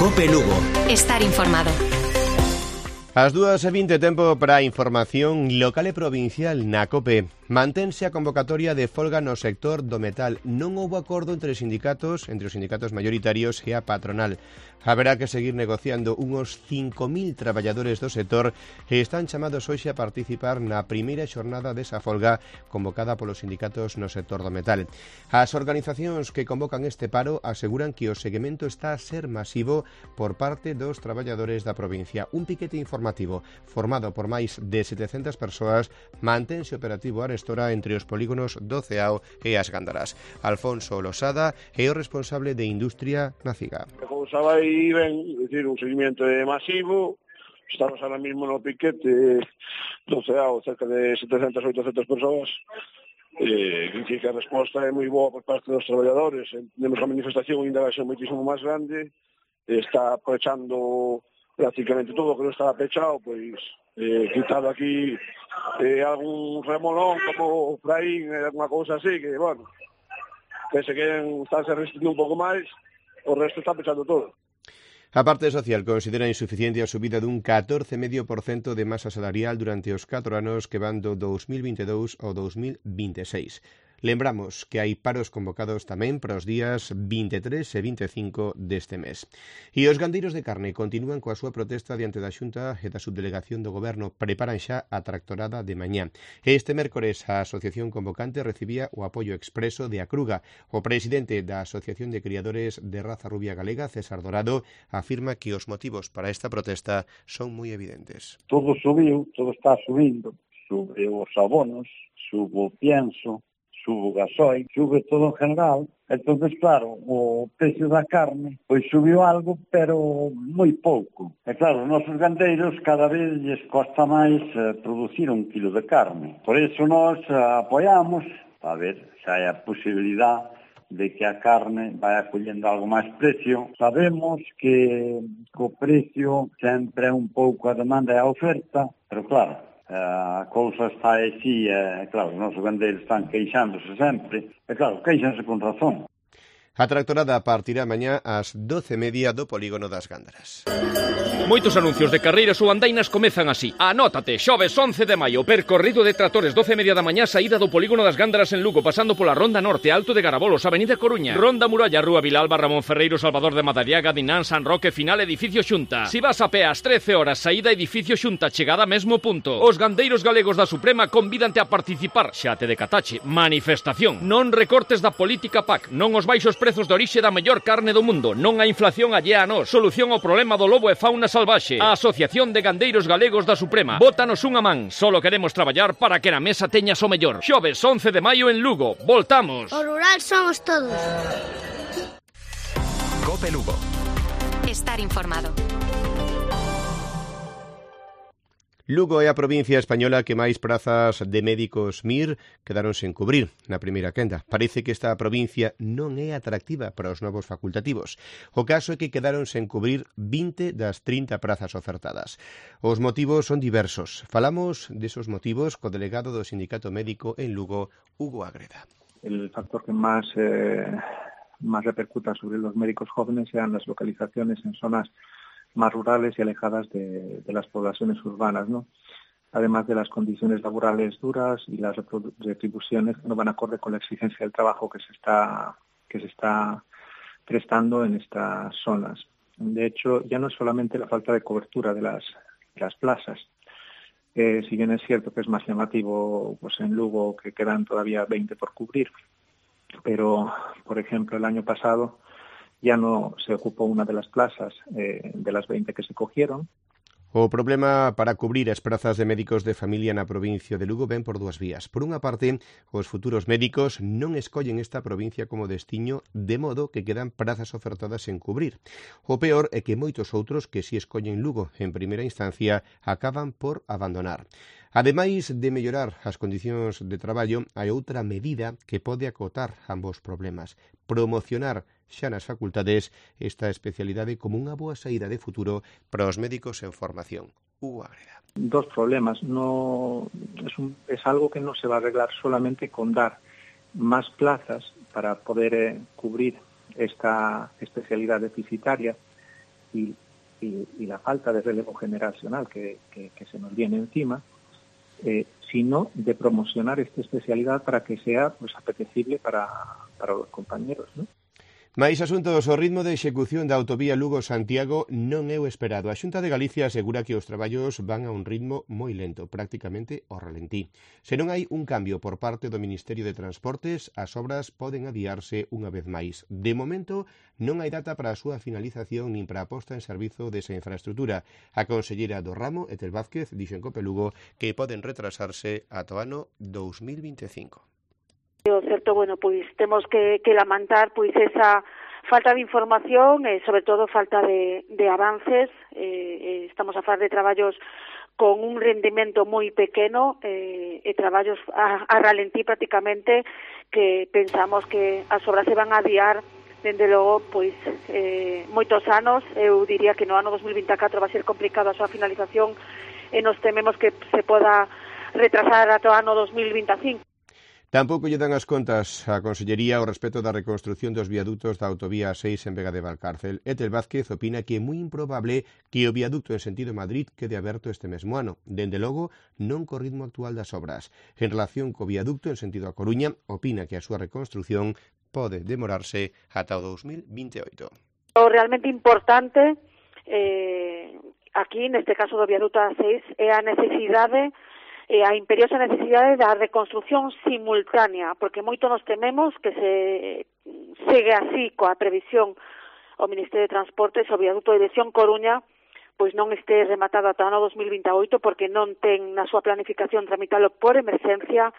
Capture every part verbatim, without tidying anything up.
Cope Lugo. Estar informado. As dúas e vinte, tempo para a información local e provincial na COPE. Mantense a convocatoria de folga no sector do metal. Non houbo acordo entre os sindicatos, entre os sindicatos maioritarios e a patronal. Haberá que seguir negociando. Unhos cinco mil traballadores do sector e están chamados hoxe a participar na primeira xornada desa folga convocada polos sindicatos no sector do metal. As organizacións que convocan este paro aseguran que o seguimento está a ser masivo por parte dos traballadores da provincia. Un piquete informativo formado por máis de setecentas persoas mantense operativo arestora entre os polígonos do Ceao e as Gándaras. Alfonso Losada é o responsable de Industria na CIGA. A cousa vai ben, é dicir, un seguimento masivo. Estamos ahora mismo no piquete do Ceao, cerca de setecentas a oitocentas persoas. Eh, que a resposta é moi boa por parte dos traballadores. Temos a manifestación ainda vai ser moitísimo máis grande. Está aprovechando prácticamente todo o que non estaba pechado, pois eh, quitado aquí eh, algún remolón como Fraín, eh, alguna cousa así, que, bueno, que se queren estarse resistindo un pouco máis, o resto está pechando todo. A parte social considera insuficiente a subida dun catorce vírgula cinco por cento de masa salarial durante os catro anos que van do dous mil vinte e dous ao dous mil vinte e seis. Lembramos que hai paros convocados tamén para os días vinte e tres e vinte e cinco deste mes. E os gandeiros de carne continúan coa súa protesta diante da Xunta e da Subdelegación do Goberno. Preparan xa a tractorada de mañá. Este mércores a Asociación Convocante recibía o apoio expreso de Acruga. O presidente da Asociación de Criadores de Raza Rubia Galega, César Dorado, afirma que os motivos para esta protesta son moi evidentes. Todo subiu, todo está subindo. Sube os abonos, sube o pienso, sube o gasoil, sube todo en general. Entonces, claro, o precio da carne pois subiu algo, pero moi pouco. E claro, os nosos gandeiros cada vez lles costa máis eh, producir un kilo de carne. Por iso nós eh, apoiamos, a ver, xa hai a posibilidade de que a carne vai acollendo algo máis precio. Sabemos que o precio sempre é un pouco a demanda e a oferta, pero claro, a cousa está así, e claro, os nosos gandeiros están queixándose sempre, e claro, queixanse con razón. A tractorada partirá mañá ás doce e media do polígono das Gándaras. Moitos anuncios de carreiras ou andainas comezan así. Anótate, xoves once de maio, percorrido de tractores, doce e media da mañá, saída do polígono das Gándaras en Lugo, pasando pola Ronda Norte, Alto de Garabolos, Avenida Coruña, Ronda Muralla, Rúa Vilalba, Ramón Ferreiro, Salvador de Madariaga, Dinán, San Roque, final Edificio Xunta. Si vas a pé ás trece horas, saída Edificio Xunta, chegada mesmo punto. Os gandeiros galegos da Suprema convídante a participar. Xa te decatache, manifestación. Non recortes da política P A C, non os baixos prezos de orixe da mellor carne do mundo, non a inflación allea a nós, solución ao problema do lobo e fauna salvaxe. A Asociación de Gandeiros Galegos da Suprema. Bótanos unha man, solo queremos traballar para que na mesa teñas o mellor. Xoves once de maio en Lugo. Voltamos. O rural somos todos. Cope Lugo. Estar informado. Lugo é a provincia española que máis prazas de médicos M I R quedaron sen cubrir na primeira quenda. Parece que esta provincia non é atractiva para os novos facultativos. O caso é que quedaron sen cubrir vinte das trinta prazas ofertadas. Os motivos son diversos. Falamos desos motivos co delegado do Sindicato Médico en Lugo, Hugo Agreda. El factor que más, eh, más repercuta sobre los médicos jóvenes sean las localizaciones en zonas más rurales y alejadas de, de las poblaciones urbanas, ¿no? Además de las condiciones laborales duras y las retribuciones que no van acorde con la exigencia del trabajo que se está que se está prestando en estas zonas. De hecho, ya no es solamente la falta de cobertura de las, de las plazas. Eh, si bien es cierto que es más llamativo, pues en Lugo que quedan todavía veinte por cubrir, pero, por ejemplo, el año pasado ya no se ocupó una de las plazas eh, de las veinte que se cogieron. O problema para cubrir as prazas de médicos de familia na provincia de Lugo ven por dúas vías. Por unha parte, os futuros médicos non escollen esta provincia como destiño, de modo que quedan prazas ofertadas sen cubrir. O peor é que moitos outros que si escollen Lugo en primeira instancia acaban por abandonar. Ademais de mellorar as condicións de traballo, hai outra medida que pode acotar ambos problemas: promocionar xa nas facultades esta especialidade como unha boa saída de futuro para os médicos en formación. Hugo Agreda. Dos problemas. No, es, un, es algo que no se va a arreglar solamente con dar más plazas para poder eh, cubrir esta especialidad deficitaria, y, y, y la falta de relevo generacional que, que, que se nos viene encima, eh, sino de promocionar esta especialidad para que sea pues apetecible para, para los compañeros, ¿no? Mais asuntos, o ritmo de execución da autovía Lugo-Santiago non é o esperado. A Xunta de Galicia asegura que os traballos van a un ritmo moi lento, prácticamente ao ralentí. Se non hai un cambio por parte do Ministerio de Transportes, as obras poden adiarse unha vez máis. De momento, non hai data para a súa finalización nin para a posta en servizo desa infraestructura. A conselleira do ramo, Etel Vázquez, dixo en Cope Lugo que poden retrasarse ata o ano dous mil vinte e cinco. O certo, bueno, pois temos que, que lamentar pois esa falta de información e sobre todo falta de, de avances. Eh, estamos a falar de traballos con un rendimento moi pequeno eh, e traballos a, a ralentí prácticamente, que pensamos que as obras se van a adiar dende logo pois eh, moitos anos. Eu diría que no ano dos mil vinte e catro vai ser complicado a súa finalización e nos tememos que se poda retrasar ata o ano dos mil vinte e cinco. Tampouco lle dan as contas á Consellería ao respecto da reconstrucción dos viaductos da autovía seis en Vega de Valcárcel. Etel Vázquez opina que é moi improbable que o viaducto en sentido Madrid quede aberto este mesmo ano. Dende logo, non co ritmo actual das obras. En relación co viaducto en sentido a Coruña, opina que a súa reconstrucción pode demorarse ata o dous mil vinte e oito. O realmente importante eh, aquí, neste caso do viaduto A seis, é a necesidade e a imperiosa necesidade da reconstrucción simultánea, porque moito nos tememos que se segue así coa previsión o Ministerio de Transportes, o viaduto de dirección Coruña, pois non este rematado ata o ano dos mil vinte e oito, porque non ten na súa planificación tramitalo por emerxencia,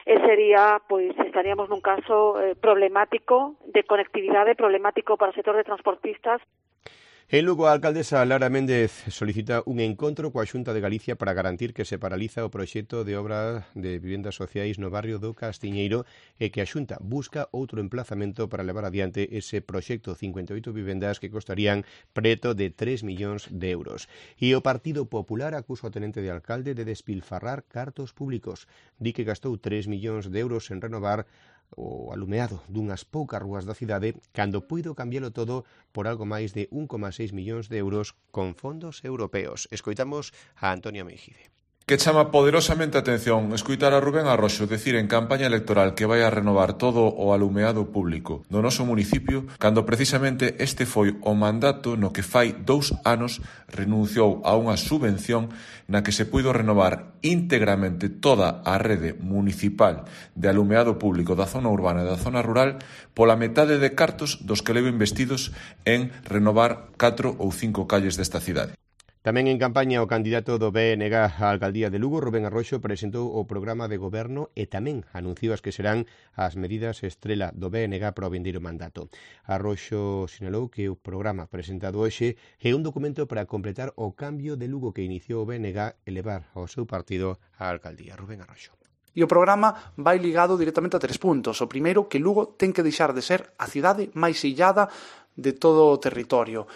e sería, pois, estaríamos nun caso eh, problemático de conectividade, problemático para o sector de transportistas. En Lugo, a alcaldesa Lara Méndez solicita un encontro coa Xunta de Galicia para garantir que se paraliza o proxecto de obra de vivendas sociais no barrio do Castiñeiro e que a Xunta busca outro emplazamento para levar adiante ese proxecto, cincuenta e oito vivendas que costarían preto de tres millóns de euros. E o Partido Popular acusa o tenente de alcalde de despilfarrar cartos públicos. Di que gastou tres millóns de euros en renovar o alumeado dunhas poucas rúas da cidade cando puido cambialo todo por algo máis de un coma seis millóns de euros con fondos europeos. Escoitamos a Antonio Meijide. Que chama poderosamente a atención escoitar a Rubén Arroxo decir en campaña electoral que vai a renovar todo o alumeado público do noso municipio, cando precisamente este foi o mandato no que fai dous anos renunciou a unha subvención na que se puido renovar íntegramente toda a rede municipal de alumeado público da zona urbana e da zona rural pola metade de cartos dos que levo investidos en renovar catro ou cinco calles desta cidade. Tamén en campaña o candidato do B N G á alcaldía de Lugo, Rubén Arroxo, presentou o programa de goberno e tamén anunciou as que serán as medidas estrela do B N G para o vindeiro mandato. Arroxo sinalou que o programa presentado hoxe é un documento para completar o cambio de Lugo que iniciou o B N G e levar ao seu partido á alcaldía. Rubén Arroxo. E o programa vai ligado directamente a tres puntos. O primeiro, que Lugo ten que deixar de ser a cidade máis illada de todo o territorio.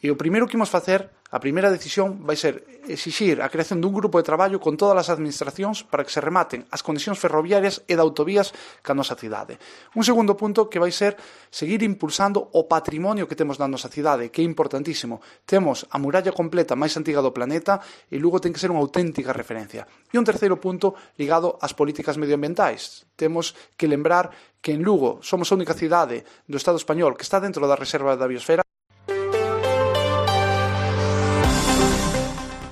E o primeiro que imos facer, a primeira decisión, vai ser exixir a creación dun grupo de traballo con todas as administracións para que se rematen as conexións ferroviarias e de autovías ca nosa cidade. Un segundo punto que vai ser seguir impulsando o patrimonio que temos na nosa cidade, que é importantísimo. Temos a muralla completa máis antiga do planeta e Lugo ten que ser unha auténtica referencia. E un terceiro punto ligado ás políticas medioambientais. Temos que lembrar que en Lugo somos a única cidade do Estado español que está dentro da reserva da biosfera.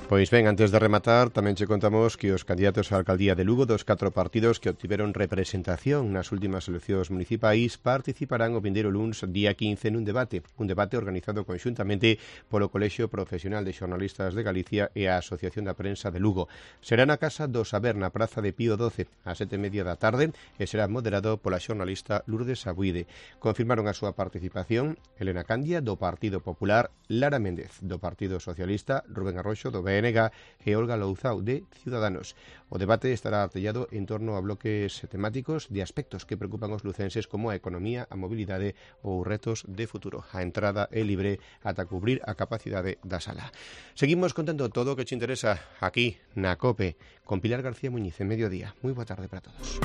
Pois ben, antes de rematar, tamén che contamos que os candidatos á alcaldía de Lugo dos catro partidos que obtiveron representación nas últimas eleccións municipais participarán o vindeiro luns día quince nun debate, un debate organizado conxuntamente polo Colexio Profesional de Xornalistas de Galicia e a Asociación da Prensa de Lugo. Será na Casa do Saber, na Praza de Pío doce, a sete e media da tarde, e será moderado pola xornalista Lourdes Abuide. Confirmaron a súa participación Elena Candia, do Partido Popular, Lara Méndez, do Partido Socialista, Rubén Arroxo, do B N G e Olga Louzao, de Ciudadanos. O debate estará artellado en torno a bloques temáticos de aspectos que preocupan os lucenses como a economía, a mobilidade ou retos de futuro. A entrada é libre ata cubrir a capacidade da sala. Seguimos contando todo o que te interesa aquí na COPE con Pilar García Muñiz en Mediodía. Moi boa tarde para todos.